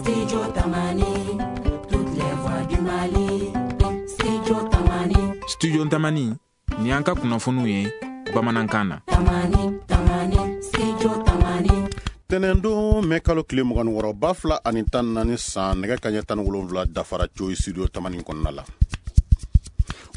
Studio Tamani, toutes les voix du Mali. Studio Tamani. Studio Tamani, ni an ka kunnafoniw ye bamanankan na. Tamani, Tamani, Studio Tamani. Tɛnɛndon mɛ kalo tile 26 2014 san, nɛgɛ kaɲɛ 17 dafara coyi studio Tamani kɔnɔna la.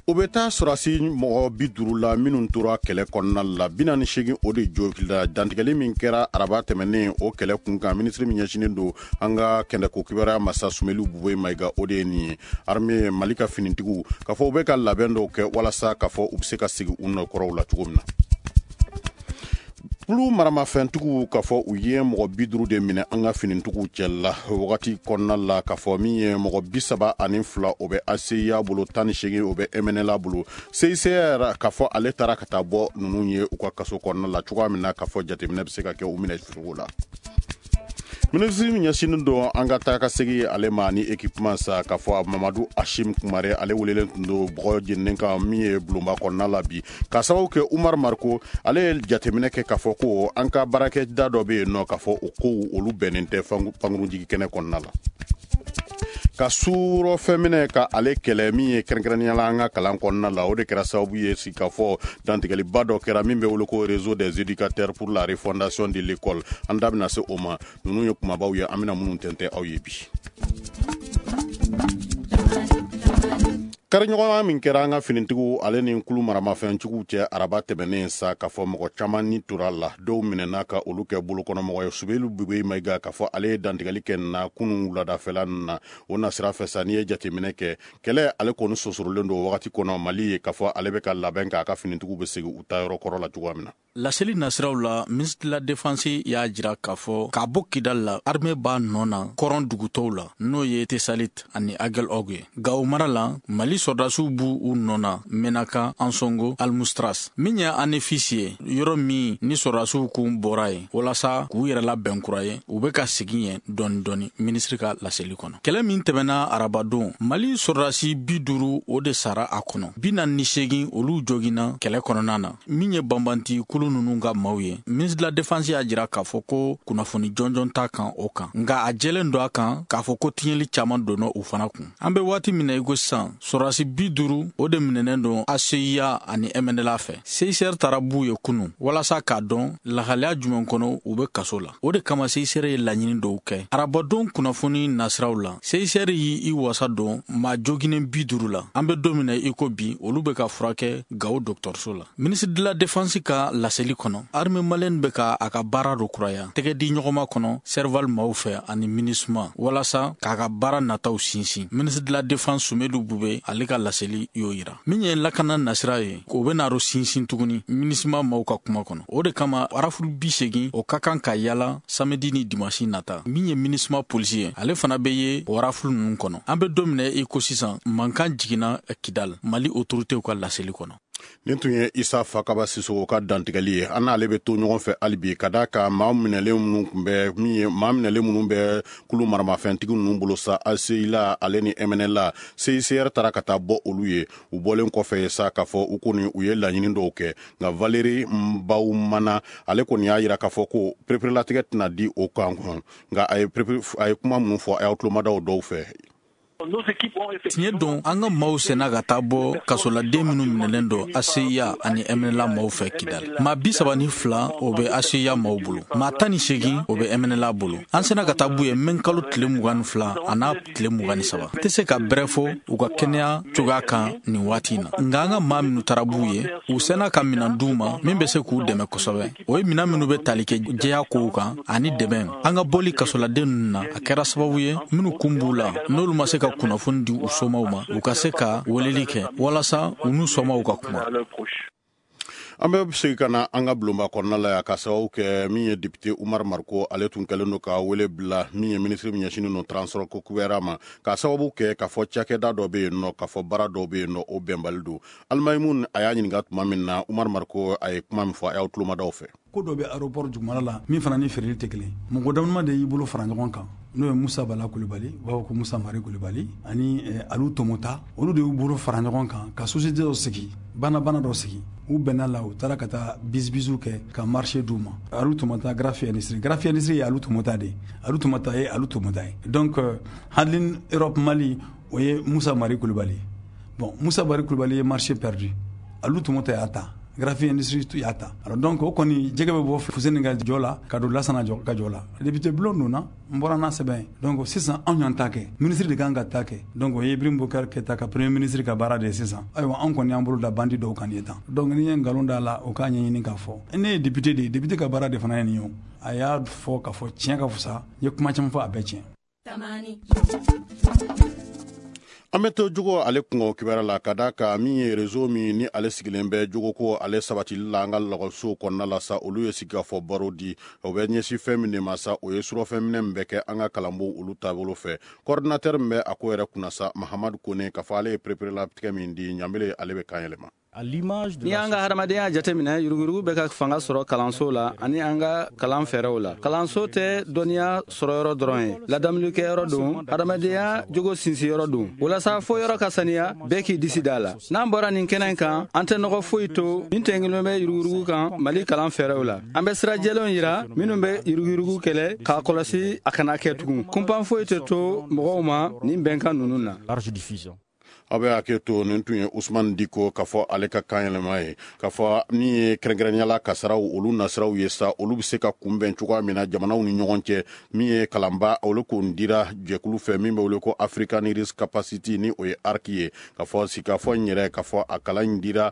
O bɛ taa sɔrɔsi mɔgɔ 50 la minnu tora kɛlɛ kɔnɔna la, 48 o de jogila. Dantigɛli min kɛra araba tɛmɛnen o kɛlɛ kun kan, minisiri min ɲɛsinnen don an ka kɛnɛko kibaruya masa Sumelu Bube Mayiga, o de ye nin ye. Armée Mali ka finitigiw k'a fɔ u bɛ ka labɛn dɔw kɛ walasa k'a fɔ u bɛ se ka segin u nɔkɔrɔw la cogo min na. Kulu maramafɛntigiw k'a fɔ u ye mɔgɔ 50 de minɛ an ka finitigiw cɛla wagati kɔnɔna la, k'a fɔ min ye mɔgɔ 32 o bɛ ACIA bolo, 18 o bɛ MNLA bolo. CICR k'a fɔ ale taara ka taa bɔ ninnu ye u ka kaso kɔnɔna la cogoya min na, k'a fɔ jateminɛ bɛ se ka kɛ u minɛ cogo la. Minisiri min ɲɛsinnen don an ka taa ka segin ale ma ni équipement sa, k'a fɔ Mamadu Ashim Kumare, ale welelen tun don bɔgɔ jeninen kan min ye bulonba kɔnɔna la bi, k'a sababu kɛ Umar Mariko ale ye jateminɛ kɛ k'a fɔ ko an ka baarakɛda dɔ bɛ yen nɔ, k'a fɔ o kow olu bɛnnen tɛ pankurunjigi kɛnɛ kɔnɔna la. Ka suurɔfɛn minɛ ka ale kɛlɛ min ye kɛrɛnkɛrɛnnenya la an ka kalan kɔnɔna la, o de kɛra sababu ye sigikafɔ dantigɛliba dɔ kɛra min bɛ wele ko Réseau des éducateurs pour la refondation de l'école. An da bɛna se o ma. Ninnu ye kumabaw ye an bɛna minnu tɛntɛn aw ye bi. Kariɲɔgɔnya min kɛra an ka finitigiw ale ni kulu maramafɛntigiw cɛ araba tɛmɛnen sa, k'a fɔ mɔgɔ caman ni tora la, dɔw minɛna ka olu kɛ bolokɔnɔmɔgɔ ye. Subelu Bube Mayiga k'a fɔ ale ye dantigɛli kɛ na kunun wuladafɛla ninnu na. O nasira fɛ sa, n'i ye jateminɛ kɛ, kɛlɛ ale kɔni sosorolen don wagati kɔnɔ Mali ye, k'a fɔ ale bɛ ka labɛn k'a ka finitigiw bɛ segin u taayɔrɔ kɔrɔ la cogoya min na. Laseli nasiraw la, ministre de la Défense y'a jira k'a fɔ k'a bɔ Kidal la, armée b'a nɔ na kɔrɔn dugutɔw la, n'o ye Tesalit ani Agel Og ye. Gawo mara la, Mali sɔrɔdasiw b'u u nɔ na Menaka, Ansongo, Almustras. Min ye Anefis ye, yɔrɔ min ni sɔrɔdasiw kun bɔra yen walasa k'u yɛrɛ labɛn kura ye, u bɛ ka segin yen dɔɔni dɔɔni, minisiri ka laseli kɔnɔ. Kɛlɛ min tɛmɛna arabadon, Mali sɔrɔdasi 50 o de sara a kɔnɔ, 48 olu joginna kɛlɛ kɔnɔna na. Min ye banbanti kulu ninnu ka maaw ye, ministre de la Défense y'a jira k'a fɔ ko kunnafoni jɔnjɔn t'a kan o kan, nka a jɛlen don a kan k'a fɔ ko tiɲɛli caman donna u fana kun. An bɛ waati min na i ko sisan, sɔrɔdasi 50 o de minɛnen don ACIA ani MNLA fɛ. CICR taara b'u ye kunun walasa k'a dɔn lahalaya jumɛn kɔnɔ u bɛ kaso la. O de kama CICR ye laɲini dɔw kɛ. Arabadon kunnafoni nasiraw la, CICR y'i wasa don maa joginen 50 la. An bɛ don min na i ko bi, olu bɛ ka furakɛ Gawo dɔgɔtɔrɔso la. Ministre de la Défense ka laseli kɔnɔ, armée malienne bɛ ka a ka baara dɔ kuraya tɛgɛ di ɲɔgɔnma kɔnɔ Serval maaw fɛ ani MINUSMA walasa k'a ka baara nataw sinsin. Ministre de la Défense Sumelu Bube ale ka laseli y'o yira. Min ye lakana nasira ye, o bɛ n'a sinsin tuguni MINUSMA maaw ka kuma kɔnɔ. O de kama rafle 80 o ka kan ka yala samedi ni dimanche nata. Min ye MINUSMA polisi ye, ale fana bɛ ye o rafle ninnu kɔnɔ. An bɛ don min na i ko sisan, mankan jiginna Kidal, Mali autorités ka laseli kɔnɔ. Nin tun ye Isa Fakaba Sisoko ka dantigɛli ye. An n'ale bɛ to ɲɔgɔn fɛ hali bi, ka d'a kan maa minɛlen minnu tun bɛ min ye maa minɛlen minnu bɛ kulu maramafɛntigi ninnu bolo sa, ACILA ale ni MNLA, CICR taara ka taa bɔ olu ye. U bɔlen kɔfɛ sa, k'a fɔ u kɔni u ye laɲini dɔw kɛ, nka Valérie Mbawumana ale kɔni y'a jira k'a fɔ ko pereperelatigɛ tɛna di o kan, nka a ye kuma minnu fɔ, a y'aw tulomadaw dɔw fɛ. Tiɲɛ don, an ka maaw senna ka taa bɔ kasoladen minnu minɛlen don ACIA ani MNLA maaw fɛ Kidal. Maa 32 o bɛ ACIA maaw bolo, maa 18 o bɛ MNLA bolo. An senna ka taa b'u ye mɛ kalo tile 22 a n'a tile 23. N tɛ se ka bɛrɛ fɔ u ka kɛnɛya cogoya kan nin waati in na, nka an ka maa minnu taara b'u ye, u senna ka minɛn d'u ma min bɛ se k'u dɛmɛ kosɛbɛ. O ye minɛn minnu bɛ tali kɛ jɛya kow kan ani dɛmɛ. An ka bɔli kasoladen ninnu na, a kɛra sababu ye minnu kun b'u la, n'olu ma se ka kunnafoni di u somaw ma, u ka se ka weleli kɛ walasa u n'u somaw ka kuma. An bɛ segin ka na an ka bulonba kɔnɔna la yan, ka sababu kɛ min ye député Umar Mariko, ale tun kɛlen don ka wele bila min ye minisiri min ɲɛsinnen don transport ko kibaruya ma, ka sababu kɛ k'a fɔ cakɛda dɔ bɛ yen nɔ, k'a fɔ baara dɔw bɛ yen nɔ, o bɛnbali don. Alimayimun a y'a ɲininka tuma min na, Umar Mariko a ye kuma min fɔ, a y'aw tulomadaw fɛ. Ko dɔ bɛ aéroport dugumala la min fana ni feereli tɛ kelen. Mɔgɔ dama de y'i bolo fara ɲɔgɔn kan. N'o ye Musa Bala Kulubali, u b'a fɔ ko Musa Mari Kulubali, ani Alu Tomota, olu de y'u bolo fara ɲɔgɔn kan ka société dɔ sigi, bana dɔ sigi. U bɛnna la, u taara ka taa bisibisiw kɛ ka marché d'u ma. Alu Tomota Grafi Industrie, Grafi Industrie ye Alu Tomota de ye, Alu Tomota ye Alu Tomota ye. Donc Handling Europe Mali, o ye Musa Mari Kulubali. Bon, Musa Mari Kulubali ye marché perdu, Alu Tomota y'a ta, Grafi Industrie y'a ta. Alors donc o kɔni jɛgɛ bɛ bɔ Fuseni ka jɔ la ka don Lasana ka jɔ la. Député bulon donna, n bɔra n'a sɛbɛn ye. Donc sisan anw y'an ta kɛ, ministre de kan ka ta kɛ. Donc o ye Ibrahim Boubacar Keita ka premier ministre ka baara de ye sisan. Ayiwa, anw kɔni y'an bolo da bandi dɔw kan nin ye tan. Donc ni ye nkalon da la, o k'a ɲɛɲini k'a fɔ. Ne ye député de ye, député ka baara de fana ye nin ye o. A y'a fɔ k'a fɔ tiɲɛ ka fisa, n ye kuma caman fɔ, a bɛɛ tiɲɛ. An bɛ to jogo ale kungo kibaruya la, ka da kan min ye réseau min ni ale sigilen bɛ jogo ko ale sabatili la an ka lakɔlisow kɔnɔna la sa, olu ye sigikafɔ baro di. O bɛ ɲɛsin fɛn min de ma sa, o ye surɔfɛn minɛ min bɛ kɛ an ka kalanbon olu taabolo fɛ. Coordinateur min bɛ a ko yɛrɛ kunna sa, Mahamadu Kone, k'a fɔ ale ye pereperelatigɛ min di ɲanbele, ale bɛ kan yɛlɛma. N'i y'an ka hadamadenya jateminɛ, yuruguyurugu bɛ ka fanga sɔrɔ kalanso la ani an ka kalan fɛɛrɛw la. Kalanso tɛ dɔnniya sɔrɔyɔrɔ dɔrɔn ye, ladamulikɛyɔrɔ don, hadamadenya jogo sinsinyɔrɔ don. Walasa fo yɔrɔ ka saniya, bɛɛ k'i disi da la. N'an bɔra nin kɛnɛ kan, an tɛ nɔgɔ foyi to min tɛnkilen bɛ yuruguyurugu kan Mali kalan fɛɛrɛw la. An bɛ sira jɛlenw yira minnu bɛ yuruguyurugu kɛlɛ, k'a kɔlɔsi a kana kɛ tugun. Kunpan foyi tɛ to mɔgɔw ma nin bɛnkan ninnu na. Aw bɛ hakɛ to, nin tun ye Usman Diko k'a fɔ ale ka kan yɛlɛma ye. K'a fɔ min ye kɛrɛnkɛrɛnnenya kasaraw olu nasiraw ye sa, olu bɛ se ka kunbɛn cogoya min na jamanaw ni ɲɔgɔn cɛ. Min ye kalanba, olu kun dira jɛkulu fɛ min bɛ wele ko African Risk Capacity, ni o ye ARC ye. K'a fɔ sigikafɔ in yɛrɛ, k'a fɔ a kalan in dira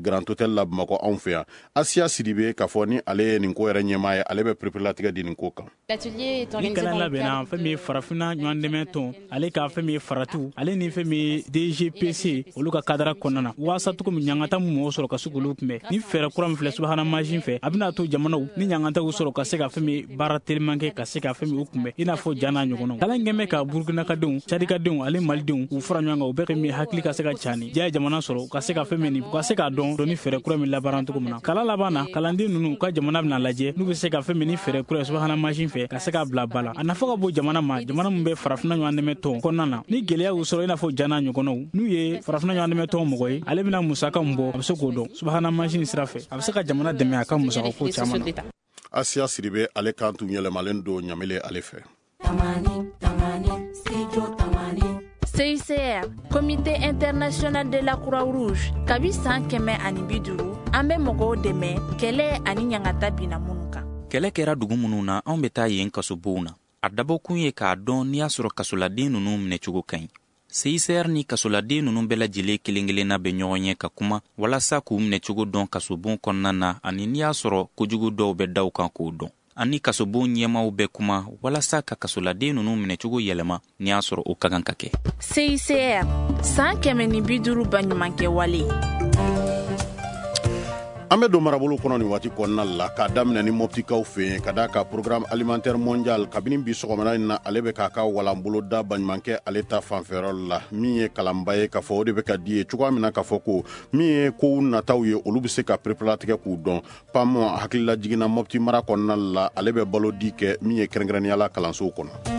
Grand Hôtel la Bamakɔ anw fɛ yan. Asiya Sidibe, k'a fɔ ni ale ye nin ko yɛrɛ ɲɛmaa ye, ale bɛ pereperelatigɛ di nin ko kan. Ni kalan labɛnna fɛn min ye farafinna ɲɔgɔn dɛmɛ tɔn, ale ka fɛn min ye faratiw, ale ni fɛn min ye DGPC, olu ka kadara kɔnɔna na, waasa cogo min ɲangata min mɔgɔ sɔrɔ ka se k'olu kunbɛn. Ni fɛɛrɛ kura min filɛ subahana mansin fɛ, a bɛna to jamanaw ni ɲangataw sɔrɔ ka se ka fɛn min baara teliman kɛ ka se ka fɛn min u kunbɛn, i n'a fɔ ja n'a ɲɔgɔnnaw. Kalan kɛn bɛ ka Burkinakadenw, Cadikadenw ale Malidenw u fara ɲɔgɔn kan, u bɛɛ fɛn min hakili ka se ka cani ja ye jamana sɔrɔ, u ka se ka fɛn min, u ka se k'a dɔn ni fɛɛrɛ kura min labaara cogo min na. Kalan laban na, kalanden ninnu u ka jamana bɛna lajɛ n'u bɛ se ka fɛn min ni fɛɛrɛ kura ye subahana mansin fɛ ka se k'a bila ba la. A nafa ka bon jamana ma, jamana min bɛ farafinna ɲɔgɔn dɛmɛ tɔn kɔnɔna na. Ni gɛlɛya y'u sɔrɔ, i n'a fɔ ja n'a ɲɔgɔnnaw, n'u ye farafinna ɲɔgɔn dɛmɛ tɔn mɔgɔ ye, ale bɛna musaka min bɔ, a bɛ se k'o dɔn subahana mansin sira fɛ, a bɛ se ka jamana dɛmɛ a ka musaka ko caman na. Asiya Sidibe, ale kan tun yɛlɛmalen don ɲamele ale fɛ. CICR, Comité international de la Croix-Rouge, kabi san 150, an bɛ mɔgɔw dɛmɛ kɛlɛ ani ɲangata binna minnu kan. Kɛlɛ kɛra dugu minnu na, anw bɛ taa yen kasobow na. A dabɔkun ye k'a dɔn n'i y'a sɔrɔ kasoladen ninnu minɛcogo ka ɲi. CICR ni kasoladen ninnu bɛɛ lajɛlen kelen kelenna bɛ ɲɔgɔn ye ka kuma walasa k'u minɛcogo dɔn kasobon kɔnɔna na, ani n'i y'a sɔrɔ kojugu dɔw bɛ da u kan k'o dɔn. Ani kasobon ɲɛmaaw bɛ kuma walasa ka kasoladen ninnu minɛcogo yɛlɛma n'i y'a sɔrɔ o ka kan ka kɛ. CICR, san 150 baɲumankɛ wale. An bɛ don marabolo kɔnɔ nin waati kɔnɔna la, k'a daminɛ ni Moptikaw fɛ yen, ka d'a ka Programme alimentaire mondial, kabini bi sɔgɔmada in na, ale bɛ k'a ka walanbolo da baɲumankɛ ale ta fanfɛyɔrɔ la. Min ye kalanba ye, k'a fɔ o de bɛ ka di ye cogoya min na, k'a fɔ ko min ye kow nataw ye, olu bɛ se ka pereperelatigɛ k'u dɔn. PAM hakilila jiginna Mopti mara kɔnɔna la, ale bɛ balo di kɛ min ye kɛrɛnkɛrɛnnenya la kalansow kɔnɔ.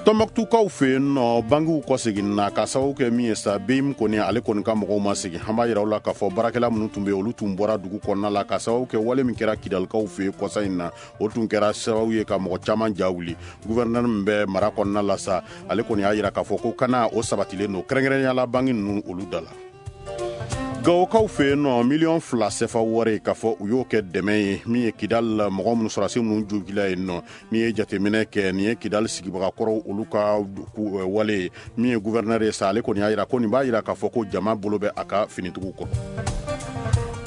Tɔnbɔkutukaw fɛ yen nɔ, bankiw kɔseginna ka sababu kɛ min ye sa, BIM kɔni ale kɔni ka mɔgɔw ma segin. An b'a yira u la k'a fɔ baarakɛla minnu tun bɛ yen, olu tun bɔra dugu kɔnɔna la ka sababu kɛ wale min kɛra Kidalikaw fɛ yen kɔsa in na, o tun kɛra sababu ye ka mɔgɔ caman ja wuli. Gouverneur min bɛ mara kɔnɔna la sa, ale kɔni y'a yira k'a fɔ ko kana o sabatilen don, kɛrɛnkɛrɛnnenya la banki ninnu olu da la. Gawokaw fɛ yen nɔ, 2 miliyɔn sefa wari, k'a fɔ u y'o kɛ dɛmɛ ye min ye Kidal mɔgɔ minnu sɔrɔsi minnu jogila yen nɔ. N'i ye jateminɛ kɛ, nin ye Kidal sigibagakɔrɔw olu ka wale ye. Min ye gouverneur ye sa, ale kɔni y'a yira ko nin b'a yira k'a fɔ ko jama bolo bɛ a ka finitigiw kɔrɔ.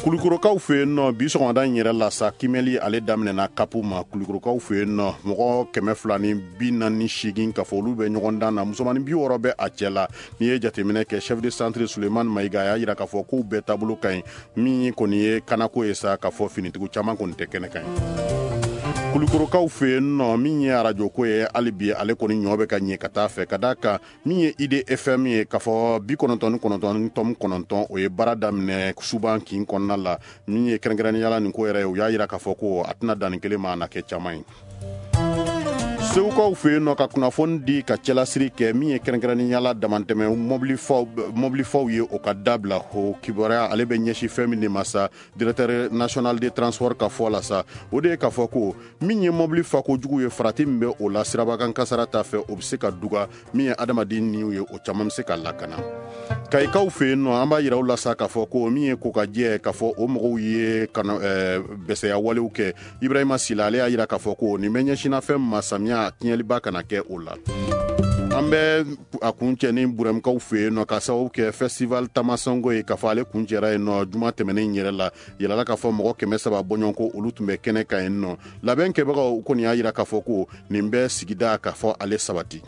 Kulukorokaw fɛ yen nɔ, bi sɔgɔmada in yɛrɛ la sa, kimɛli ale daminɛna kapu ma. Kulukorokaw fɛ yen nɔ, mɔgɔ 248, k'a fɔ olu bɛ ɲɔgɔn dan na, musomanin 60 bɛ a cɛ la. N'i ye jateminɛ kɛ, chef de centre Sulemani Mayiga a y'a yira k'a fɔ k'u bɛɛ taabolo ka ɲi. Min kɔni ye kanako ye sa, k'a fɔ finitigiw caman kɔni tɛ kɛnɛ kan ye. Kulukorokaw fɛ yen nɔ, min ye arajo ko ye hali bi, ale kɔni ɲɔ bɛ ka ɲɛ ka taa fɛ, ka d'a kan min ye IDFM ye, k'a fɔ 99.9, o ye baara daminɛ suban kin kɔnɔna la. Min ye kɛrɛnkɛrɛnnenya la nin ko yɛrɛ ye, u y'a yira k'a fɔ ko a tɛna dan nin kelen ma, a na kɛ caman ye. Segukaw fɛ yen nɔ, ka kunnafoni di ka cɛlasiri kɛ, min ye kɛrɛnkɛrɛnnenya la damantɛmɛ mɔbilifaw ye, o ka dabila. O kibaruya, ale bɛ ɲɛsin fɛn min de ma sa, directeur national de transport ka fɔ la sa, o de ye k'a fɔ ko min ye mɔbili fa kojugu ye, farati min bɛ o la sirabakan kasara ta fɛ, o bɛ se ka duga. Min ye adamaden niw ye, o caman bɛ se ka lakana. Kayikaw fɛ yen nɔ, an b'a yira u la sa k'a fɔ ko min ye kokajɛ, k'a fɔ o mɔgɔw ye bɛsɛya walew kɛ. Ibrahima Sila, ale y'a yira k'a fɔ ko nin bɛ ɲɛsinna fɛn ma, samiya tiɲɛliba kana kɛ o la. An bɛ a kun cɛ ni Burɛmukaw fɛ yen nɔ, ka sababu kɛ festival Tamasango ye, k'a fɔ ale kun cɛra yen nɔ juma tɛmɛnen yɛrɛ la. Yɛlɛla k'a fɔ mɔgɔ 300 bɔɲɔgɔnko, olu tun bɛ kɛnɛ kan yen nɔ. Labɛn kɛbagaw kɔni y'a yira k'a fɔ ko nin bɛ sigida k'a fɔ ale sabati.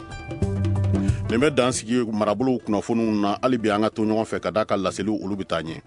Nin bɛ dan sigi marabolow kunnafoniw na. Hali bi an ka to ɲɔgɔn fɛ ka d'a ka laseliw, olu bɛ taa ɲɛ.